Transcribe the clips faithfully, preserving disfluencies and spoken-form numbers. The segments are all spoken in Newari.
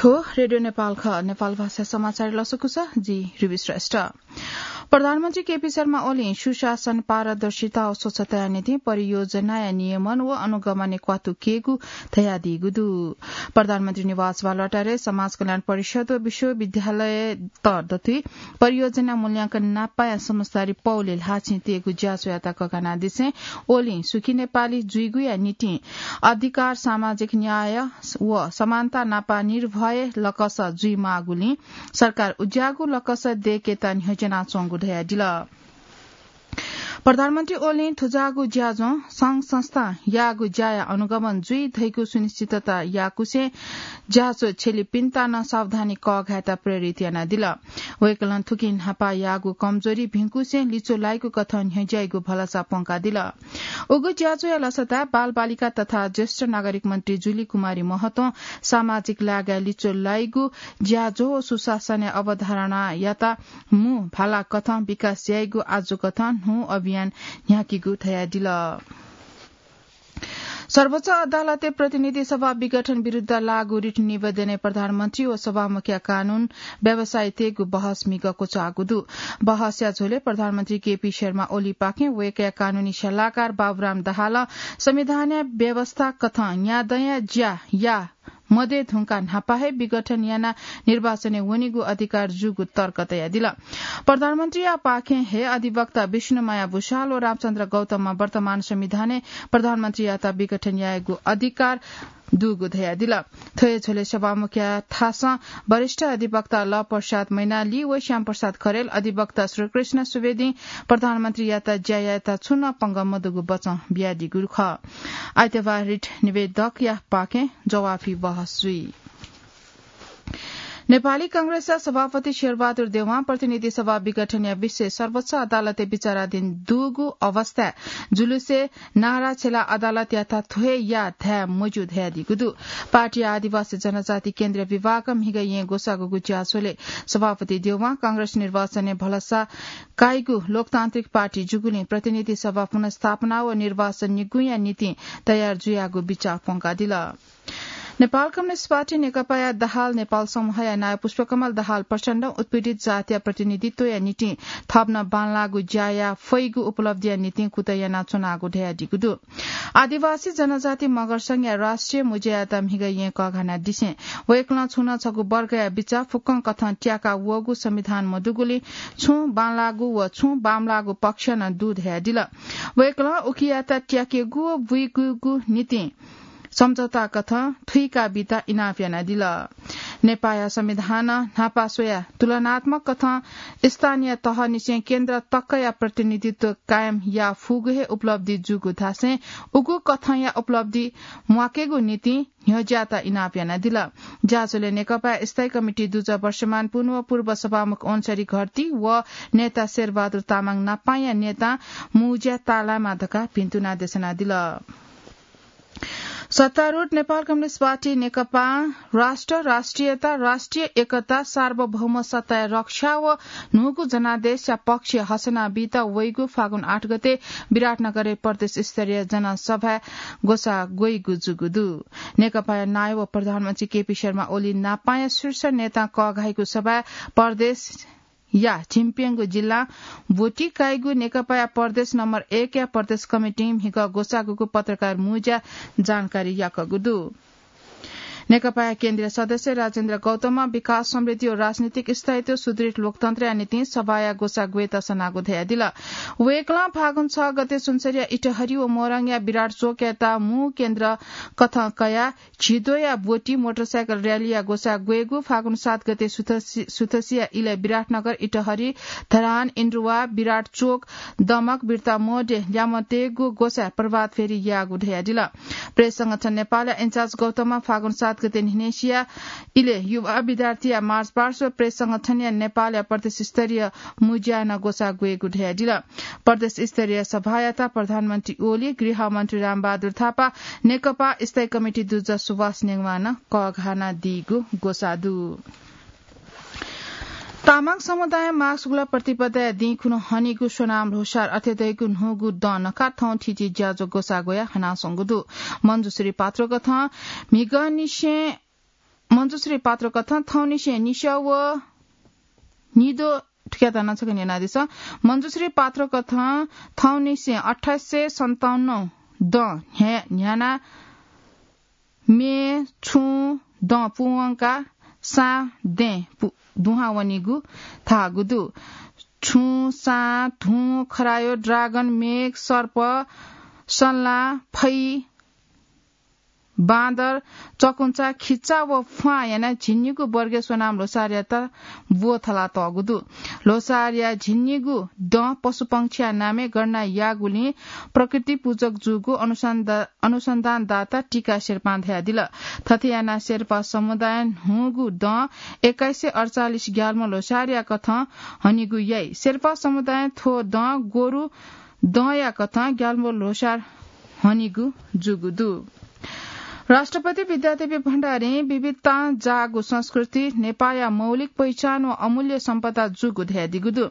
थ्व रेडियो नेपाल खः। नेपाल भाषा समाचार लसकुस, जि रुबी श्रेष्ठ। प्रधानमन्त्री केपी शर्मा ओलीं सुशासन, पारदर्शिता व स्वच्छताया निंतिं परियोजनाया नियमन व अनुगमनय् क्वातु केगु धयादीगु दु। प्रधानमन्त्री निवास बालुवाटारय् समाज कल्याण परिषद व विश्वविद्यालयत दथुइ परियोजना मूल्यांकन नापाया समझदारी पौले ल्हाःचिं तयेगु ज्याझ्वःयात ककानादिसें ओलीं सुखी नेपाली जुइगुया निंतिं अधिकार, सामाजिक न्याय व समानता नापा निर्भय लकस जुइमाःगुलिं सरकार उज्याःगु लकस दय्केत न्ह्यज्यानाच्वंगु धयादिल। प्रधानमन्त्री ओलीं थुज्याःगु ज्याझ्वः संघ संस्था याःगु ज्याया अनुगमन जुइ धइगु सुनिश्चितता याकुसें ज्याझ्वः छ्यलीपिन्त नं सावधानी कःघायेत प्रेरित यानादिल। वय्कलं थुकिं न्हापा याःगु कमजोरी भिंकुसें लिच्वः लाइगु कथं न्ह्यज्याइगु भलसा प्वंकादिल। उगु ज्याझ्वःया लसताय् बालबालिका तथा ज्येष्ठ नागरिक मन्त्री जुली कुमारी महतों सामाजिक लागाय् लिच्वः लाइगु ज्याझ्वः व सुशासनया अवधारणायात मू भाला कथं विकास याइगु आजु कथं न्हू अभियान न्ह्याकीगु धयादिल। सर्वोच्च अदालतय् प्रतिनिधि सभा विघटन विरुद्ध लागू रिट निवेदनय् प्रधानमन्त्री व सभामुखया कानून व्यवसायी तयेगु बहस म्हिगः क्वचाःगु दु। बहसया झ्वलय् प्रधानमन्त्री केपी शर्मा ओलीपाखें वय्कःया कानूनी सल्लाहकार बाबुराम दाहालं संविधानया व्यवस्था कथं न्यादँया ज्या या मदये धुंकाः न्हापा हे विघटन यानाः निर्वाचनय् वनेगु अधिकार जूगु तर्क तयादिल। प्रधानमन्त्रीया पाखें हे अधिवक्ता विष्णुमाया भुसाल व रामचन्द्र गौतमं वर्तमान संविधानय् प्रधानमन्त्रीयात विघटन यायेगु अधिकार दुगु धयादिल। थ्व हे झ्वलय् सभामुखया थासं वरिष्ठ अधिवक्ता ल प्रसाद मैनाली व श्याम प्रसाद खरेल, अधिवक्ता श्रीकृष्ण सुवेदीं प्रधानमन्त्रीयात ज्या यायेत छुं नं पंगः मदुगु बचं बियादीगु खः। आइतबार रिट निवेदकया पाखें जवाफी बहस जुइ। नेपाली कांग्रेसया सभापति शेरबहादुर देवां प्रतिनिधि सभा विघटनया विषय सर्वोच्च अदालतय् विचाराधीन दुगु अवस्थाय् जुलुसय् नारा छ्यलाः अदालतयात थ्व हे या धाये मज्यू धयादीगु दु। पार्टीया आदिवासी जनजाति केन्द्रीय विभागं म्हिगः येँ ग्वसाःगुगु ज्याझ्वलय् सभापति देवां कांग्रेस निर्वाचनय् भलसा काइगु लोकतान्त्रिक पार्टी जूगुलिं प्रतिनिधि सभा पुनर्स्थापना व निर्वाचन निगूया निंतिं तयार जुयागु बिचाः प्वंकादिल। नेपाल कम्युनिस्ट पार्टी नेकपाया दाहाल नेपाल समूहया नायः पुष्पकमल दाहाल प्रचण्डं उत्पीडित जातिया प्रतिनिधित्वया निंतिं थप नं बांलाःगु ज्या याये फइगु उपलब्धिया निंतिं कुतः यानाच्वनागु धयादीगु दु। आदिवासी जनजाति मगर संघया राष्ट्रिय मुज्यायात म्हिगः येँ कःघानादिसें वय्कलं छुं नं छगू वर्गया बिचाः फुक्कं कथं त्याका वःगु संविधान मदुगुलिं छुं बांलाःगु व छुं बांमलाःगु पक्ष नं दु धयादिल। वय्कलं उकियात त्याकेगु व बुइकेगु निंतिं सम्झौता कथं थुइका बीत इनाप यानादिल। नेपाःया संविधानं न्हापा स्वयाः तुलनात्मक कथं स्थानीय तहनिसें केन्द्र तकया प्रतिनिधित्व कायम याये फुगु हे उपलब्धि जूगु धासें उगु कथंया उपलब्धि म्वाकेगु निंतिं न्ह्यज्याःत इनाप यानादिल। ज्याझ्वलय् नेकपाया स्थायी कमिटी दुजः वर्षमान पुन व पूर्व सभामुख ओन्सरी घरती व नेता शेरबहादुर तामाङ नापांया नेतां मुज्या ताःलायेमा धकाः भिन्तुना देछानादिल। सत्तारूढ नेपाल कम्युनिस्ट पार्टी नेकपां राष्ट्र, राष्ट्रियता, राष्ट्रिय एकता, सार्वभौम सत्ताया रक्षा व न्हूगु जनादेशया पक्ष हसना बीत वइगु फागुन आठ गते विराटनगरय् प्रदेश स्तरीय जनसभाय् ग्वसाः ग्वइगु जूगु दु। नेकपाया नायः व प्रधानमन्त्री केपी शर्मा ओली नापांया शीर्ष नेतां कःघाइगु सभाय् प्रदेश या झिंप्यंगू जिल्लां ब्वति काइगु नेकपाया प्रदेश नम्बर एकया प्रदेश कमिटिं म्हिगः ग्वसाःगुगु पत्रकार मुज्या जानकारी याकःगु दु। नेकपाया केन्द्रीय सदस्य राजेन्द्र गौतमं विकास, समृद्धि व राजनीतिक स्थायित्व, सुदृढ लोकतन्त्रया निंतिं सभाया ग्वसाः ग्वयेत सनागु धयादिल। वय्कलं फागुन छ गते सुनसरीया इटहरी व मोरङया विराट चोकयात मू केन्द्र कथं कयाः झिद्वःया ब्वति मोटरसाइकल र्‍यालीया ग्वसाः ग्वयेगु, फागुन सात गते सुथसी, सुथसीया इलय् विराटनगर, इटहरी, धरान, इन्द्रुवा, विराट चोक, दमक, बिर्ता मोडय् ल्यामतयेगु ग्वसाः प्रभात फेरी याःगु धयादिल। प्रेस संगठन नेपालया इन्चार्ज गौतमं फागुन सात गते न्हिनेसिया इलय् युवा विद्यार्थीया मार्च पास्ट व प्रेस संगठनया नेपालया प्रदेश स्तरीय मुज्याय् नं ग्वसाः ग्वयेगु धयादिल। प्रदेश स्तरीय सभायात प्रधानमन्त्री ओली, गृहमन्त्री रामबहादुर थापा, नेकपा स्थायी कमिटी दुजः सुभाष नेवां नं कःघानादीगु ग्वसाः दु। तामाङ समुदायं माघ शुक्ल प्रतिपदाया दिं खुन्हु हनीगु स्वनाम ल्होसार अथे धइगु न्हूगु दँ नकाः थौं थीथी ज्याझ्वः ग्वसाः ग्वयाः हनाच्वंगु दु। मञ्जुश्री पात्रोकथं म्हिगःनिसें मञ्जुश्री पात्रकथं थौंनिसें निस्याव निदो ठुक्याता नछकन यानादिसँ। मञ्जुश्री पात्रकथं थौंनिसें अट्ठाइस सय सन्ताउन्न दँ न्ह्या-, न्ह्याना मे छुं दँ पुवंका सां दँय् पु-, दुहां वनीगु धाःगु दु। छुं, सां, धुं, खरायो, ड्रागन, मेघ, सर्प, सल्लां, फै, बाँदर, चकुन्चा, खिच्चा व फ्वाँ यानाः झिंनिगू वर्गय् सोनाम ल्होसारयात ब्वथलातःगु दु। ल्होसारया झिंनिगू दँ पशुपंक्षीया नामय् गणना याःगुलिं प्रकृति पूजक जूगु अनुसन्धा-, अनुसन्धानदाता टीका शेर्पां धयादिल। थथे यानाः शेर्पा समुदायं न्हूगु दँ एक्काइस सय अड्चालिस ग्याल्मो ल्होसारया कथं हनीगु याइ। शेर्पा समुदायं थ्व दँ गोरु दँया कथं ग्याल्मो ल्होसार हनीगु जूगु दु। राष्ट्रपति विद्यादेवी भण्डारीं विविधतां जाःगु संस्कृति नेपाःया मौलिक पहिचान व अमूल्य सम्पदा जूगु धयादीगु दु।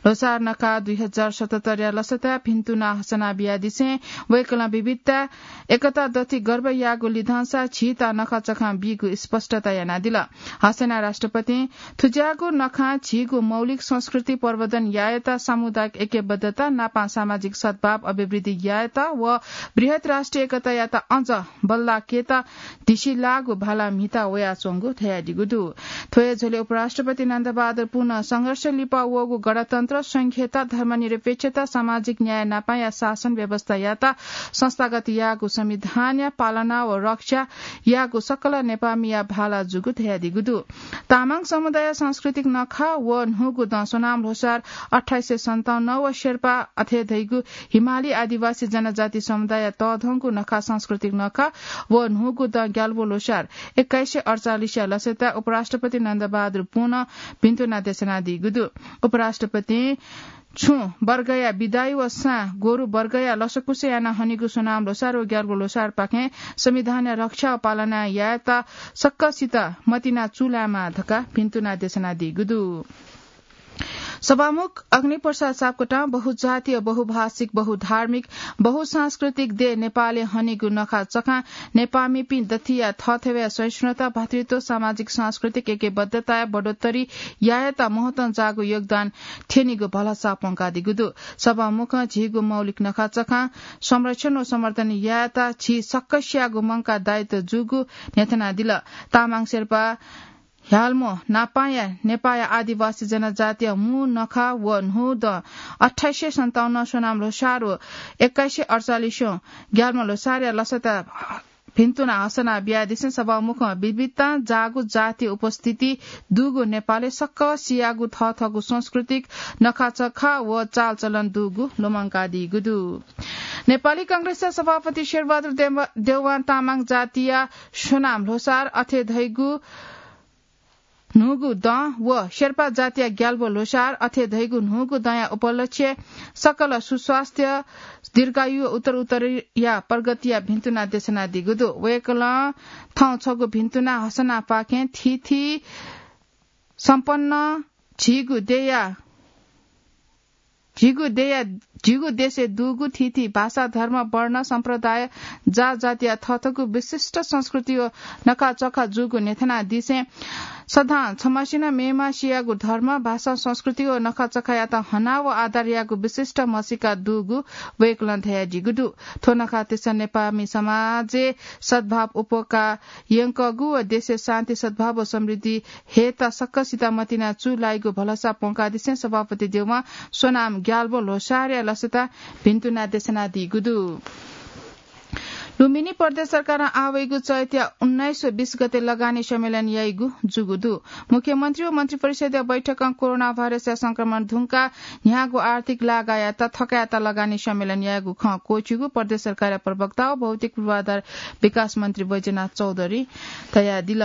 ल्होसार नखा दुई हजार सतहत्तरया लसताय् भिन्तुना हसना बियादिसें वय्कलं विविधता एकता दथि गर्व याःगु लिधंसा झीत नखःचखं बीगु स्पष्टता यानादिल। हसना राष्ट्रपतिं थुज्याःगु नखं झीगु मौलिक संस्कृति प्रवर्धन यायेत, सामुदायिक ऐक्यबद्धता, नापं सामाजिक सद्भाव अभिवृद्धि यायेत व बृहत् राष्ट्रिय एकतायात अझ बल्लाकेत धिसिलाःगु भाला म्हिता वयाच्वंगु धयादीगु दु। थ्व हे झ्वलय् उपराष्ट्रपति नन्दबहादुर पुनं संघर्ष लिपा वःगु गणतन्त्र, संघीयता, धर्मनिरपेक्षता, सामाजिक न्याय नापाया शासन व्यवस्थायात संस्थागत याःगु संविधानया पालना व रक्षा याःगु सकल नेपाःमिया भाला जूगु धयादीगु दु। तामाङ समुदाय सांस्कृतिक नखः व न्हूगु दँ सोनाम ल्होसार अट्ठाइस सय सन्ताउन्न व शेर्पा अथे धइगु हिमाली आदिवासी जनजाति समुदाय तःधंगु नखः सांस्कृतिक नखः व न्हूगु दँ ग्याल्बो ल्होसार एक्काइस सय अड्चालिसया लसताय् उपराष्ट्रपति नन्दबहादुर पुनं भिन्तुना देछानादीगु दु। उपराष्ट्रपतिं छुं वर्गया बिदाइ व सां गोरु वर्गया लसकुस यानाः हनीगु सोनाम ल्होसार व ग्याल्बो ल्होसारपाखें संविधानया रक्षा व पालना यायेत सकसित मतिना चूलायेमाः धकाः भिन्तुना देछानादीगु दु। सभामुख अग्निप्रसाद सापकोटां बहुजातीय, बहुभाषिक, बहुधार्मिक, बहुसांस्कृतिक देय् नेपालय् हनीगु नखःचखं नेपाःमिपिं दथिया थःथवया सहिष्णुता, भातृत्व, सामाजिक सांस्कृतिक ऐक्यबद्धताया बढोत्तरी यायेत महत्वं जाःगु योगदान थ्यनीगु भलसा प्वंकादीगु दु। सभामुखं झीगु मौलिक नखःचखं संरक्षण व संवर्धन यायेत झी सकसियागु मंकाः दायित्व जूगु न्ह्यथनादिल। तामाङ शेर्पा ह्याल्मो नापाया नेपाःया आदिवासी जनजातिया मू नखः व न्हू दँ अट्ठाइस सय सन्ताउन्न सोनाम ल्होसार व एक्काइस सय अड्चालिसं ग्याल्मो ल्होसारया लसताय् भिन्तुना हसना बियादिसें सभामुखं विविधतां जाःगु जातीय उपस्थिति दुगु नेपालय् सकसियागु थःथःगु सांस्कृतिक नखःचखं व चालचलन दुगु लुमंकादीगु दु। नेपाली कांग्रेसया सभापति शेरबहादुर देव-, देउवां तामाङ जातिया सोनाम ल्होसार अथे धइगु न्हूगु दँ व शेर्पा जातिया ग्याल्बो ल्होसार अथे धइगु न्हूगु दँया उपलक्ष्य सकल सुस्वास्थ्य, दीर्घायु व उत्तरोत्तरया प्रगतिया भिन्तुना देछानादीगु दु। वय्कलं थौं छगू भिन्तुना हसनापाखें थीथी सम्पन्न झीगु देया झीगु देया, झीगु देशय् दुगु थीथी भाषा, धर्म, वर्ण, सम्प्रदाय, जात, जातिया थःथःगु विशिष्ट संस्कृति व नखःचखं जूगु न्ह्यथनादिसें सदां छम्हसिनं मेम्हसियागु धर्म, भाषा, संस्कृति व नखःचखंयात हना व आदर यायेगु विशिष्ट म्हसीका दुगु वय्कलं धयादीगु दु। थ्व नखःतिस नेपाःमि समाजय् सद्भाव उपकार यंकूगु व देशय् शान्ति, सद्भाव व समृद्धि हयेत सकसित मतिना चूलाइगु भलसा प्वंकादिसें सभापति देउवां सोनाम ग्याल्बो ल्होसारया लसताय् भिन्तुना देछानादीगु दु। लुम्बिनी प्रदेश सरकारं आवइगु चैतया उन्नाइस व बीस गते लगानी सम्मेलन याइगु जूगु दु। मुख्यमन्त्री व मन्त्रिपरिषदया बैठकं कोरोना भाइरसया संक्रमण धुंकाः न्ह्याःगु आर्थिक लागायात थकायेत लगानी सम्मेलन यायेगु खँ क्वःछिउगु प्रदेश सरकारया प्रवक्ता व भौतिक पूर्वाधार विकास मन्त्री बैजनाथ चौधरीं धयादिल।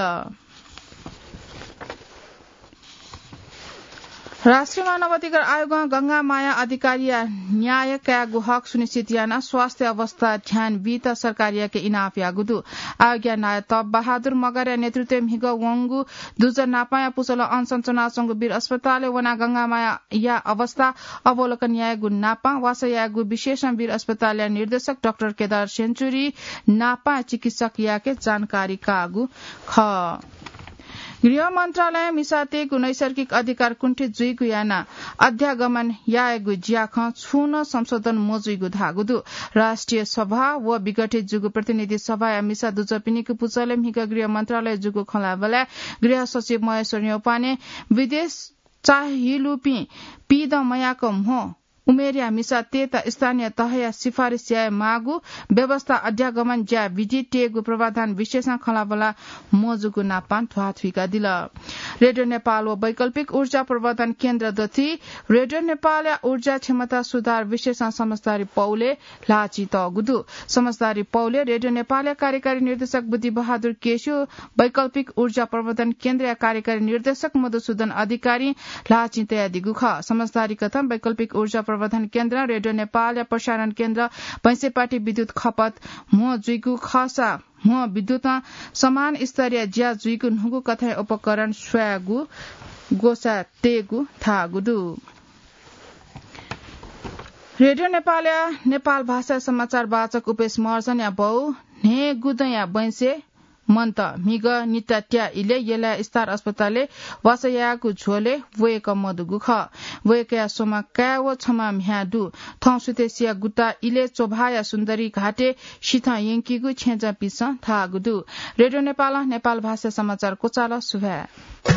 राष्ट्रिय मानव अधिकार आयोगं गंगा माया अधिकारीया न्याय कायेगु हक सुनिश्चित यानाः स्वास्थ्य अवस्था ध्यान बीत सरकारयाके इनाप याःगु दु। आयोगया नायः तप बहादुर मगरया नेतृत्वय् म्हिगः वंगु दुजः नापांया पुचलं अनसन च्वनाच्वंगु वीर अस्पतालय् वनाः गंगा मायाया अवस्था अवलोकन यायेगु नापां वासः यायेगु विशेषं वीर अस्पतालया निर्देशक डाक्टर केदार सेन्चुरी नापां चिकित्सकयाके जानकारी काःगु खः। गृह मन्त्रालयं मिसातय्‌गु नैसर्गिक अधिकार कुण्ठित जुइगु यानाः अध्यागमन यायेगु ज्याखँ छुं नं संशोधन मजुइगु धाःगु दु। राष्ट्रिय सभा व विघटित जूगु प्रतिनिधि सभाया मिसा दुजःपिनिगु पुचलय् म्हिगः गृह मन्त्रालय जूगु खँ ल्हाःबलय् गृह सचिव महेश्वर न्यौपाने विदेश चाहिलुपिं पीदँ मयाक म्हो उमेरया मिसातय्‌त स्थानीय तहया सिफारिस याये माःगु व्यवस्था अध्यागमन ज्या विधि तयेगु पूर्वाधान विषयसं खँल्हाबल्हा मजूगु नापं ध्वाथुइकादिल। रेडियो नेपाल व वैकल्पिक ऊर्जा प्रवर्धन केन्द्र दथुइ रेडियो नेपालया ऊर्जा क्षमता सुधार विषयसं समझदारी पौलय् ल्हाःचिं तःगु दु। समझदारी पौलय् रेडियो नेपालया कार्यकारी निर्देशक बुद्धिबहादुर केसी, वैकल्पिक ऊर्जा प्रवर्धन केन्द्रया कार्यकारी निर्देशक मधुसूदन अधिकारीं ल्हाःचिं तयादीगु खः। समझदारी कथं वैकल्पिक ऊर्जा प्रवर्धन केन्द्रं रेडियो नेपालया प्रसारण केन्द्र भैंसेपाटी विद्युत खपत म्हो जुइगु खःसा म्हो विद्युतं समान स्तरीय ज्या जुइगु न्हूगु कथंया उपकरण स्वयागु ग्वसाः तयेगु धाःगु दु। रेडियो नेपालया नेपाल भाषा समाचार वाचक उपेश महर्जनया बौ न्हय्‌गुदँया बैंसे मन्त म्हिगः निता त्या इलय् यलया स्टार अस्पतालय् वासः याःगु झ्वलय् वय्‌कः मदुगु खः। वय्‌कःया स्वम्ह काय् व छम्ह म्ह्याय् दु। थौं सुथसिया गुता इलय् च्वभाःया सुन्दरी घाटय् सिथं यंकीगु छेँजःपिन्सं धाःगु दु। रेडियो नेपालं नेपाल भाषा समाचार क्वचाल। सुभाय्।